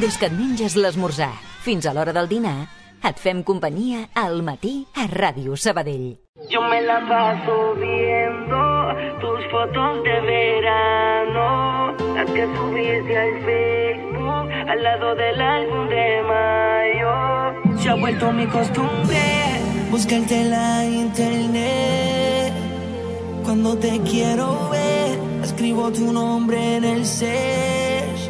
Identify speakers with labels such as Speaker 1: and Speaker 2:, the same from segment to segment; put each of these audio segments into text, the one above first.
Speaker 1: Des que et menges l'esmorzar fins a l'hora del dinar, et fem companyia al matí a Ràdio Sabadell.
Speaker 2: Yo me la paso viendo tus fotos de verano, las que subiste al Facebook al lado del álbum de mayo. Se ha vuelto mi costumbre buscarte en la internet. Cuando te quiero ver, escribo tu nombre en el search.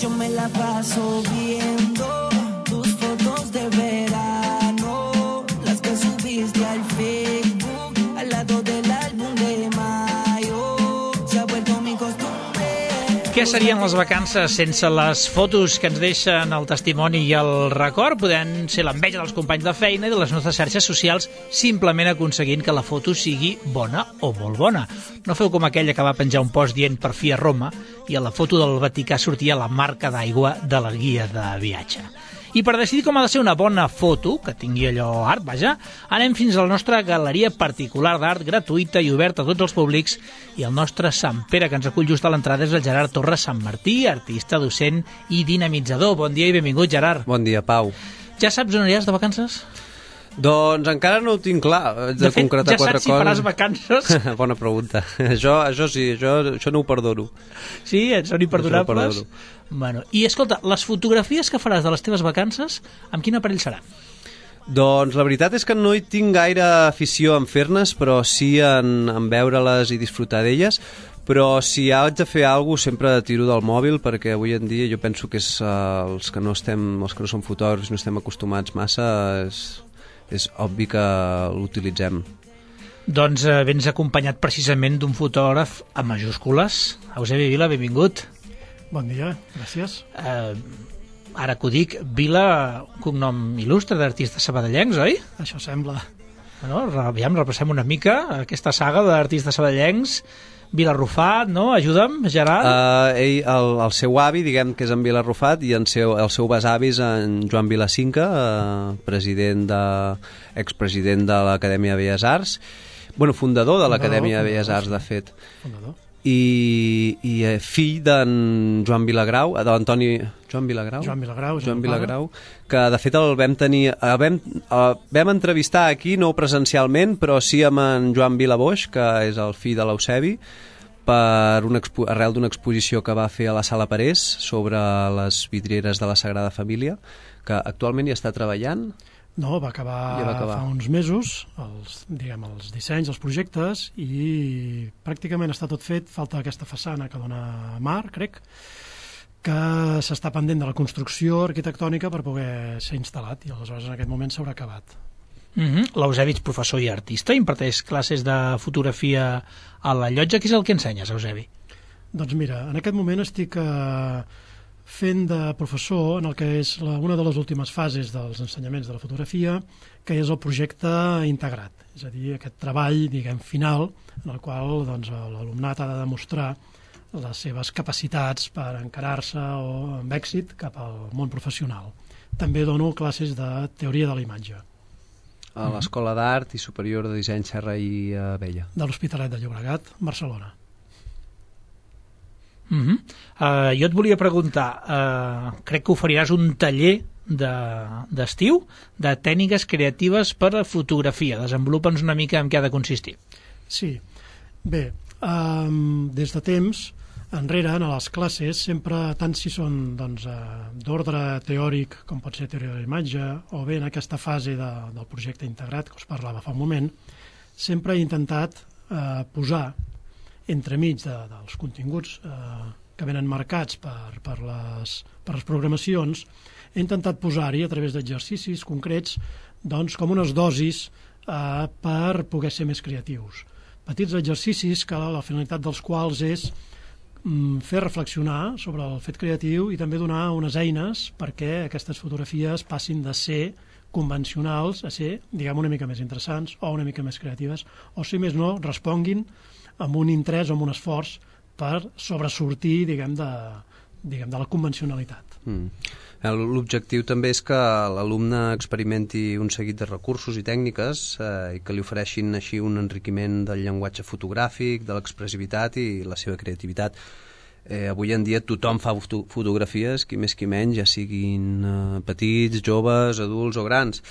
Speaker 2: Yo me la paso viendo tus fotos de verano, las que subiste al Facebook al lado del álbum de mayo. Se ha vuelto mi costumbre.
Speaker 3: Què serien les vacances sense les fotos que ens deixen el testimoni i el record? Podem ser l'enveja dels companys de feina i de les nostres xarxes socials, simplement aconseguint que la foto sigui bona o molt bona. No feu com aquella que va penjar un post dient per fi a Roma i a la foto del Vaticà sortia la marca d'aigua de la guia de viatge. I per decidir com ha de ser una bona foto, que tingui allò art, vaja, anem fins a la nostra galeria particular d'art, gratuïta i oberta a tots els públics, i el nostre Sant Pere, que ens acull just a l'entrada, és el Gerard Torres Sant Martí, artista, docent i dinamitzador. Bon dia i benvingut, Gerard.
Speaker 4: Bon dia, Pau.
Speaker 3: Ja saps on aniràs de vacances?
Speaker 4: Doncs encara no ho tinc clar.
Speaker 3: De fet, ja saps si faràs vacances?
Speaker 4: Bona pregunta. Això sí, això no ho perdono.
Speaker 3: Sí? Són imperdonables? Bueno, i escolta, les fotografies que faràs de les teves vacances, amb quin aparell serà?
Speaker 4: Doncs la veritat és que no hi tinc gaire afició en fer-nes, però sí en veure-les i disfrutar d'elles. Però si haig de fer alguna cosa sempre tiro del mòbil, perquè avui en dia jo penso que és els que no som fotògrafs, no estem acostumats massa, és obvi que l'utilitzem.
Speaker 3: Doncs vens acompanyat precisament d'un fotògraf a majúscules. Eusebi Vila, benvingut.
Speaker 5: Bon dia, gràcies.
Speaker 3: Ara que ho dic, Vila, un cognom il·lustre d'artistes sabadellencs, oi?
Speaker 5: Això sembla.
Speaker 3: Bueno, aviam, repassem una mica aquesta saga d'artistes sabadellencs. Vila Arrufat, no? Ajuda'm, Gerard.
Speaker 4: El seu avi, diguem que és en Vila Arrufat, i el seu besavi és en Joan Vilacinca, expresident de l'Acadèmia de Belles Arts, fundador de l'Acadèmia de Belles Arts, de fet. Fundador. I fill d'en Joan Vilagrau, d'Antoni... Joan Vilagrau, que de fet el vam tenir... Vam entrevistar aquí, no presencialment, però sí amb en Joan Vilaboix, que és el fill de l'Eusebi, arrel d'una exposició que va fer a la Sala Parés sobre les vidrieres de la Sagrada Família, que actualment hi està treballant.
Speaker 5: No, va acabar fa uns mesos, els dissenys, els projectes, i pràcticament està tot fet. Falta aquesta façana que dona mar, crec, que s'està pendent de la construcció arquitectònica per poder ser instal·lat, i aleshores en aquest moment s'haurà acabat.
Speaker 3: L'Eusebi és professor i artista, imparteix classes de fotografia a la Llotja. Què és el que ensenyes, Eusebi?
Speaker 5: Doncs mira, en aquest moment estic fent de professor en el que és una de les últimes fases dels ensenyaments de la fotografia, que és el projecte integrat, és a dir, aquest treball, final, en el qual l'alumnat ha de demostrar les seves capacitats per encarar-se amb èxit cap al món professional. També dono classes de teoria de la imatge.
Speaker 4: A l'Escola d'Art i Superior de Disseny Serra i Abella.
Speaker 5: De l'Hospitalet de Llobregat, Barcelona.
Speaker 3: Jo et volia preguntar, crec que oferiràs un taller d'estiu de tècniques creatives per a fotografia. Desenvolupa'ns una mica en què ha de consistir.
Speaker 5: Sí, bé, des de temps enrere, en les classes, sempre, tant si són d'ordre teòric, com pot ser teoria de la imatge, o bé en aquesta fase del projecte integrat que us parlava fa un moment, sempre he intentat posar entremig dels continguts que venen marcats per les programacions, he intentat posar-hi a través d'exercicis concrets com unes dosis per poder ser més creatius. Petits exercicis que la finalitat dels quals és fer reflexionar sobre el fet creatiu i també donar unes eines perquè aquestes fotografies passin de ser convencionals a ser, una mica més interessants o una mica més creatives, o si més no, responguin amb un interès o amb un esforç per sobresortir, de la convencionalitat.
Speaker 4: L'objectiu també és que l'alumne experimenti un seguit de recursos i tècniques i que li ofereixin així un enriquiment del llenguatge fotogràfic, de l'expressivitat i la seva creativitat. Avui en dia tothom fa fotografies, qui més qui menys, ja siguin petits, joves, adults o grans.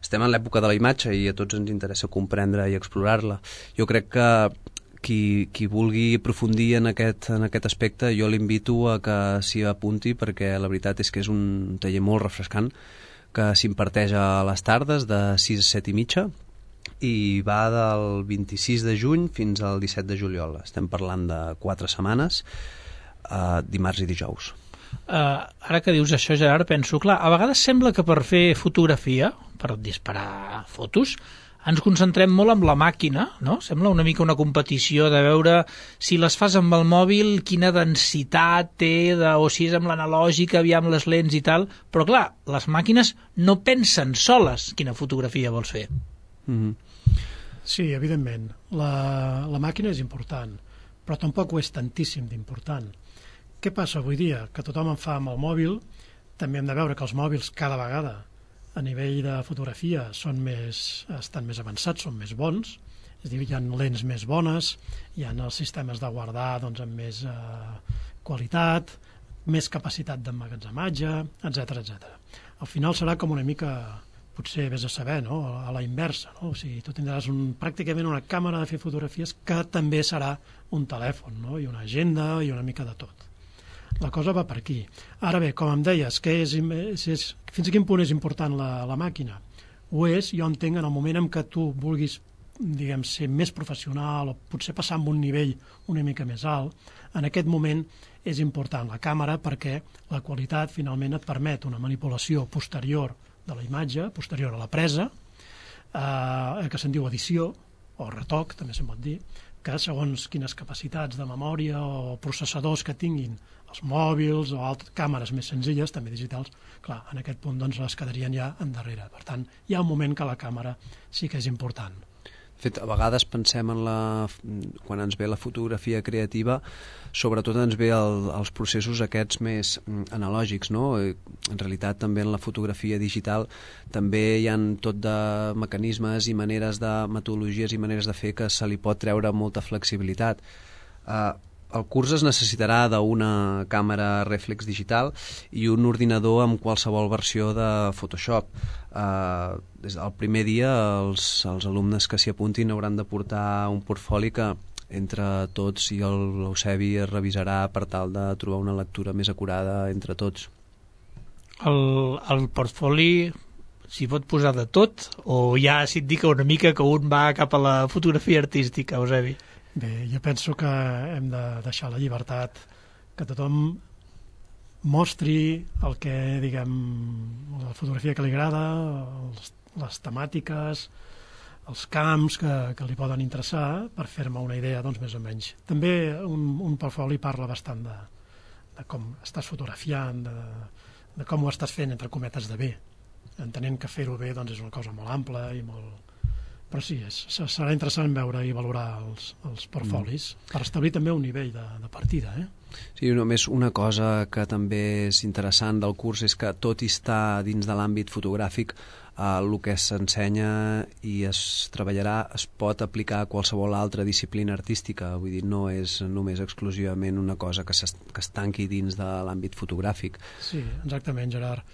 Speaker 4: Estem en l'època de la imatge i a tots ens interessa comprendre i explorar-la. Jo crec que qui vulgui aprofundir en aquest aspecte, jo l'invito a que s'hi apunti, perquè la veritat és que és un taller molt refrescant, que s'imparteix a les tardes de 6 a 7 i mitja i va del 26 de juny fins al 17 de juliol. Estem parlant de 4 setmanes, dimarts i dijous.
Speaker 3: Ara que dius això, Gerard, penso, clar, a vegades sembla que per fer fotografia, per disparar fotos, ens concentrem molt en la màquina, no? Sembla una mica una competició de veure si les fas amb el mòbil, quina densitat té, o si és amb l'analògica, aviam les lents i tal, però clar, les màquines no pensen soles quina fotografia vols fer.
Speaker 5: Sí, evidentment. La màquina és important, però tampoc ho és tantíssim d'important. Què passa avui dia? Que tothom en fa amb el mòbil, també hem de veure que els mòbils cada vegada a nivell de fotografia estan més avançats, són més bons, és a dir, hi ha lents més bones, hi ha els sistemes de guardar doncs, amb més qualitat, més capacitat d'emmagatzematge, etc. Al final serà com una mica, potser vés a saber, no? A la inversa, no? O sigui, tu tindràs pràcticament una càmera de fer fotografies que també serà un telèfon, no? I una agenda i una mica de tot. La cosa va per aquí. Ara bé, com em deies, fins a quin punt és important la màquina? Ho és, jo entenc, en el moment en què tu vulguis, diguem, ser més professional o potser passar amb un nivell una mica més alt, en aquest moment és important la càmera perquè la qualitat finalment et permet una manipulació posterior de la imatge, posterior a la presa, que se'n diu edició, o retoc, també se'n pot dir, que segons quines capacitats de memòria o processadors que tinguin els mòbils o altres càmeres més senzilles, també digitals, clar, en aquest punt doncs, les quedarien ja endarrere. Per tant, hi ha un moment que la càmera sí que és important.
Speaker 4: De fet, a vegades pensem quan ens ve la fotografia creativa, sobretot ens ve els processos aquests més analògics, no? En realitat també en la fotografia digital també hi ha tot de mecanismes i maneres de metodologies i maneres de fer que se li pot treure molta flexibilitat. El curs es necessitarà d'una càmera rèflex digital i un ordinador amb qualsevol versió de Photoshop. Des del primer dia els alumnes que s'hi apuntin hauran de portar un portfoli que entre tots i l'Eusebi es revisarà per tal de trobar una lectura més acurada entre tots.
Speaker 3: El portfoli s'hi pot posar de tot o ja si et dic una mica que un va cap a la fotografia artística, Eusebi?
Speaker 5: Bé, jo penso que hem de deixar la llibertat, que tothom mostri el que, diguem, la fotografia que li agrada, les temàtiques, els camps que li poden interessar per fer-me una idea, doncs, més o menys. També un portfoli parla bastant de com estàs fotografiant, de com ho estàs fent, entre cometes, de bé. Entenent que fer-ho bé doncs, és una cosa molt ampla i molt... Però sí, serà interessant veure i valorar els portfolis per establir també un nivell de partida.
Speaker 4: Sí, només una cosa que també és interessant del curs és que tot i estar dins de l'àmbit fotogràfic, el que s'ensenya i es treballarà es pot aplicar a qualsevol altra disciplina artística. Vull dir, no és només exclusivament una cosa que es tanqui dins de l'àmbit fotogràfic.
Speaker 5: Sí, exactament, Gerard.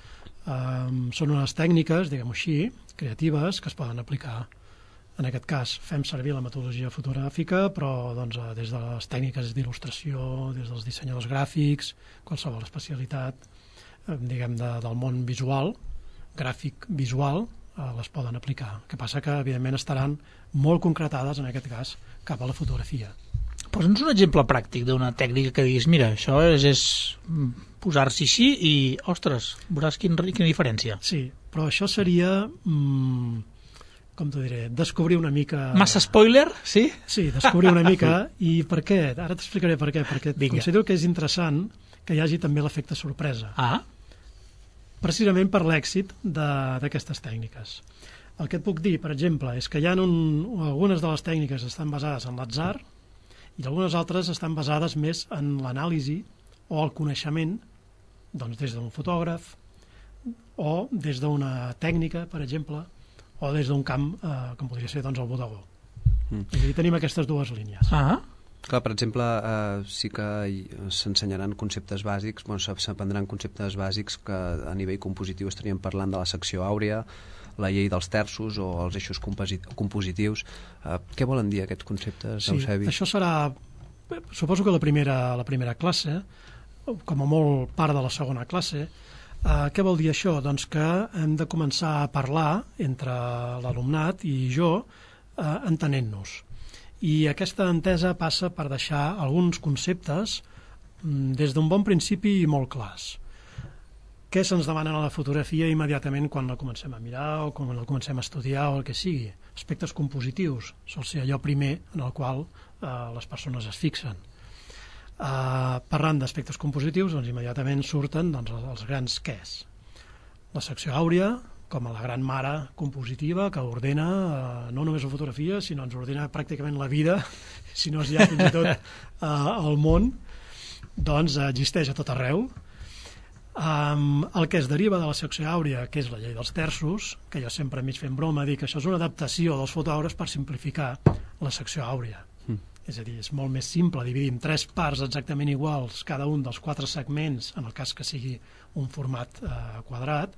Speaker 5: Són unes tècniques, diguem-ho així, creatives, que es poden aplicar. En aquest cas fem servir la metodologia fotogràfica, però doncs, des de les tècniques d'il·lustració, des dels dissenyadors gràfics, qualsevol especialitat diguem, del món visual, gràfic visual, les poden aplicar. El que passa que, evidentment, estaran molt concretades, en aquest cas, cap a la fotografia.
Speaker 3: Posa'ns un exemple pràctic d'una tècnica que diguis, mira, això és posar-s'hi així i, ostres, veuràs quina diferència.
Speaker 5: Sí, però això seria... com t'ho diré, descobrir una mica...
Speaker 3: Massa spoiler, sí?
Speaker 5: Sí, descobrir una mica. I per què? Ara t'explicaré per què. Perquè considero que és interessant que hi hagi també l'efecte sorpresa. Precisament per l'èxit d'aquestes tècniques. El que et puc dir, per exemple, és que hi ha algunes de les tècniques estan basades en l'atzar i algunes altres estan basades més en l'anàlisi o el coneixement, doncs des d'un fotògraf o des d'una tècnica, per exemple, o des d'un camp, com podria ser doncs, el bodegó. És a dir, tenim aquestes dues línies.
Speaker 4: Clar, per exemple, sí que s'ensenyaran conceptes bàsics, s'aprendran conceptes bàsics que a nivell compositiu estaríem parlant de la secció àurea, la llei dels terços o els eixos compositius. Què volen dir aquests conceptes, Eusebi?
Speaker 5: Sí, això serà, suposo que la primera classe, com a molt part de la segona classe. Què vol dir això? Doncs que hem de començar a parlar entre l'alumnat i jo, entenent-nos. I aquesta entesa passa per deixar alguns conceptes des d'un bon principi molt clars. Què se'ns demana a la fotografia immediatament quan la comencem a mirar o quan la comencem a estudiar o el que sigui? Aspectes compositius, sol ser allò primer en el qual les persones es fixen. Parlant d'aspectes compositius, doncs immediatament surten els grans quès. La secció àurea, com a la gran mare compositiva que ordena no només la fotografia, sinó ens ordena pràcticament la vida, si no és ja fins i tot el món, doncs existeix a tot arreu. El que es deriva de la secció àurea, que és la llei dels terços, que jo sempre mig fent broma dic que això és una adaptació dels fotògrafs per simplificar la secció àurea. És a dir, és molt més simple dividir en 3 parts exactament iguals cada un dels 4 segments, en el cas que sigui un format quadrat,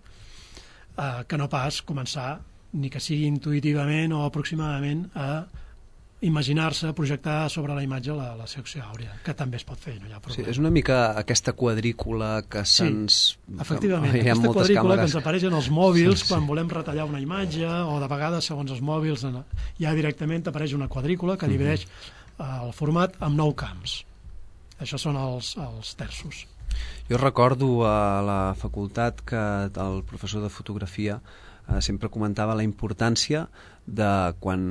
Speaker 5: que no pas començar, ni que sigui intuïtivament o aproximadament, a imaginar-se, projectar sobre la imatge la secció àurea, que també es pot fer, no hi ha problema.
Speaker 4: Sí, és una mica aquesta quadrícula que se'ns...
Speaker 5: Sí, efectivament, aquesta quadrícula que ens apareix en els mòbils quan volem retallar una imatge, o de vegades, segons els mòbils, ja directament apareix una quadrícula que divideix el format en 9 camps. Això són els terços.
Speaker 4: Jo recordo a la facultat que el professor de fotografia sempre comentava la importància de quan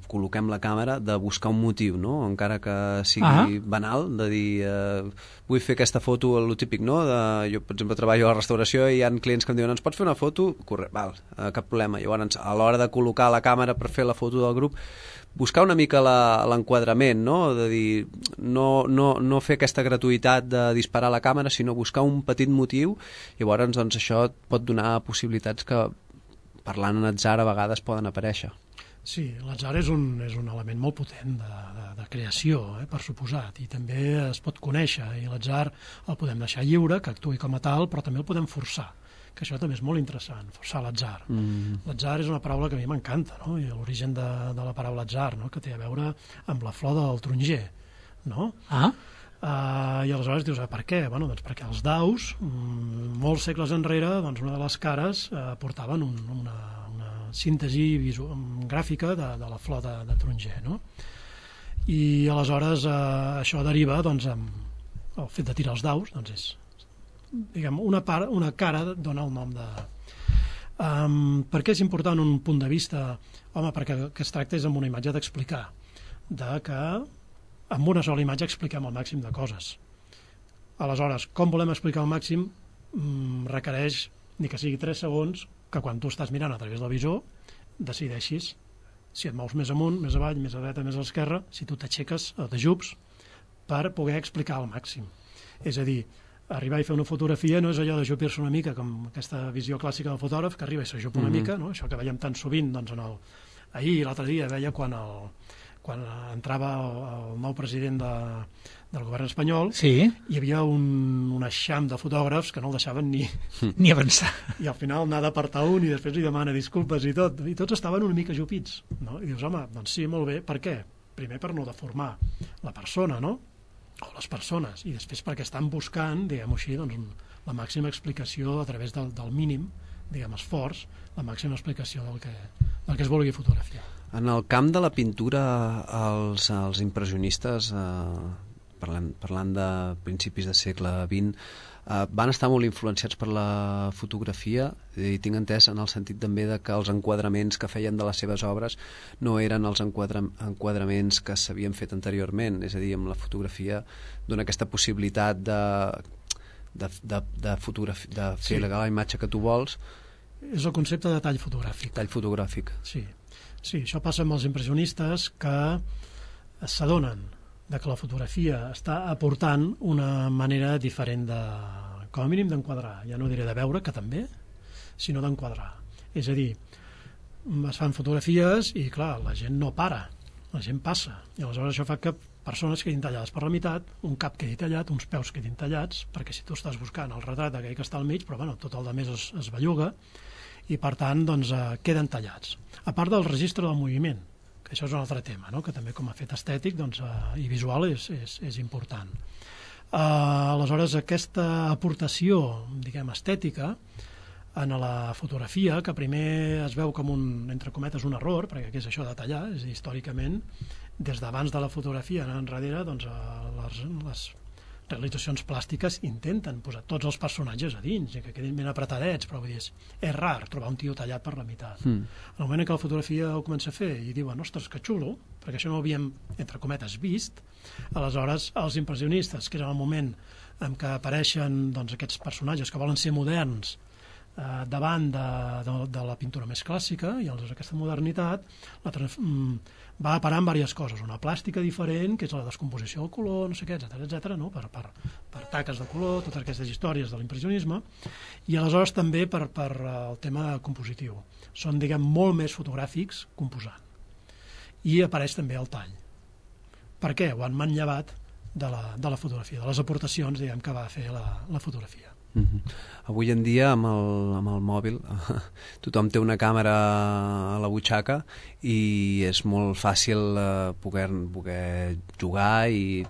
Speaker 4: col·loquem la càmera de buscar un motiu, no? Encara que sigui banal, de dir vull fer aquesta foto, el típic, no? Jo, per exemple, treballo a la restauració i hi ha clients que em diuen ens pots fer una foto? Val, cap problema. Llavors, a l'hora de col·locar la càmera per fer la foto del grup, buscar una mica l'enquadrament, no? De dir, no fer aquesta gratuïtat de disparar la càmera, sinó buscar un petit motiu. Llavors, doncs, això et pot donar possibilitats que, parlant en atzar, a vegades poden aparèixer.
Speaker 5: Sí, l'atzar és un element molt potent de creació, per suposat, i també es pot conèixer, i l'atzar el podem deixar lliure, que actuï com a tal, però també el podem forçar, que això també és molt interessant, forçar l'atzar. L'atzar és una paraula que a mi m'encanta, no? I l'origen de la paraula atzar, no? Que té a veure amb la flor del taronger, no? I aleshores dius, per què? Bueno, doncs perquè els daus, molts segles enrere, doncs una de les cares portaven una síntesi gràfica de la flor de taronger, no? I aleshores això deriva, doncs, amb el fet de tirar els daus, doncs és, diguem, una cara dona el nom de... Per què és important un punt de vista? Home, perquè el que es tracta és amb una imatge d'explicar, que amb una sola imatge expliquem el màxim de coses. Aleshores, com volem explicar el màxim requereix, ni que sigui 3 segons, que quan tu estàs mirant a través del visor decideixis si et mous més amunt, més avall, més a dreta, més a l'esquerra, si tu t'aixeques o t'ajups per poder explicar al màxim. És a dir, arribar i fer una fotografia no és allò d'ajupir-se una mica, com aquesta visió clàssica del fotògraf, que arriba i s'ajupa una mica, no? Això que veiem tan sovint, doncs, ahir i l'altre dia veia quan entrava el nou president del govern espanyol, hi havia un eixam de fotògrafs que no el deixaven
Speaker 3: ni avançar.
Speaker 5: I al final n'ha d'apartar un i després li demana disculpes i tot. I tots estaven una mica ajupits, no? I dius, home, doncs sí, molt bé. Per què? Primer per no deformar la persona, no? O les persones. I després perquè estan buscant, diguem-ho així, doncs, la màxima explicació a través del mínim, diguem, esforç, la màxima explicació del que es vulgui fotografiar.
Speaker 4: En el camp de la pintura, els impressionistes, parlant de principis de segle XX, van estar molt influenciats per la fotografia, i tinc entès en el sentit també de que els enquadraments que feien de les seves obres no eren els enquadraments que s'havien fet anteriorment, és a dir, amb la fotografia dona aquesta possibilitat de fer la imatge que tu vols.
Speaker 5: És el concepte de tall fotogràfic.
Speaker 4: Tall fotogràfic.
Speaker 5: Sí, això passa amb els impressionistes que s'adonen que la fotografia està aportant una manera diferent com a mínim d'enquadrar. Ja no diré de veure, que també, sinó d'enquadrar. És a dir, es fan fotografies i, clar, la gent no para, la gent passa. I aleshores això fa que persones quedin tallades per la meitat, un cap quedi tallat, uns peus quedin tallats, perquè si tu estàs buscant el retrat d'aquell que està al mig, però bueno, tot el de més es belluga, i per tant doncs, queden tallats. A part del registre del moviment, que això és un altre tema, no? Que també com a fet estètic doncs, i visual és important. Aleshores, aquesta aportació, diguem, estètica, en la fotografia, que primer es veu com un, entre cometes, un error, perquè què és això de tallar? És a dir, històricament, des d'abans de la fotografia anant enrere, doncs, les realitzacions plàstiques intenten posar tots els personatges a dins i que quedin ben apretadets, però vull dir, és rar trobar un tio tallat per la meitat. En el moment en què la fotografia ho comença a fer i diuen, ostres, que xulo, perquè això no ho havíem, entre cometes, vist, aleshores els impressionistes, que era el moment en què apareixen doncs, aquests personatges que volen ser moderns davant de la pintura més clàssica, i aleshores aquesta modernitat va a parar en diverses coses, una plàstica diferent, que és la descomposició del color, no sé què, etcètera, no? per taques de color, totes aquestes històries de l'impressionisme, i aleshores també per el tema compositiu. Són, diguem, molt més fotogràfics composant. I apareix també el tall. Per què? Ho han manllevat de la fotografia, de les aportacions, diguem, que va fer la fotografia.
Speaker 4: Avui en dia amb el mòbil tothom té una càmera a la butxaca i és molt fàcil poder jugar i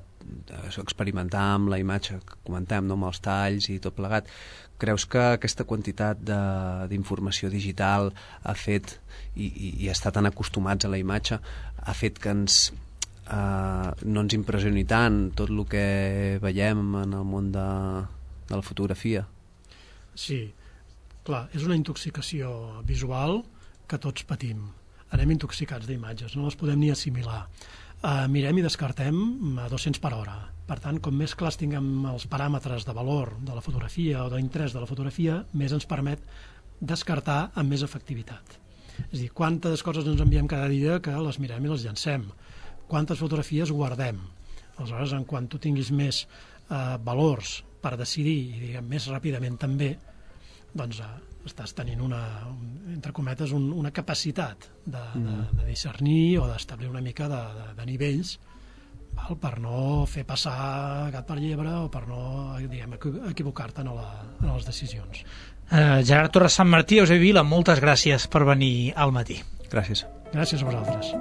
Speaker 4: experimentar amb la imatge que comentem, no? Amb els talls i tot plegat. Creus que aquesta quantitat d'informació digital ha fet i està tan acostumats a la imatge ha fet que no ens impressioni tant tot el que veiem en el món de la fotografia?
Speaker 5: Sí, clar, és una intoxicació visual que tots patim. Anem intoxicats d'imatges, no les podem ni assimilar. Mirem i descartem a 200 per hora. Per tant, com més clars tinguem els paràmetres de valor de la fotografia o d'interès de la fotografia, més ens permet descartar amb més efectivitat. És a dir, quantes coses ens enviem cada dia que les mirem i les llancem. Quantes fotografies guardem. Aleshores, en quan tu tinguis més valors per decidir, i diguem més ràpidament també, doncs estàs tenint entre cometes, una capacitat de discernir o d'establir una mica de nivells, val? Per no fer passar gat per llebre o per no, diguem, equivocar-te en les decisions.
Speaker 3: Gerard Torres Sant Martí, Eusebi Vila, moltes gràcies per venir al matí.
Speaker 4: Gràcies.
Speaker 5: Gràcies a vosaltres.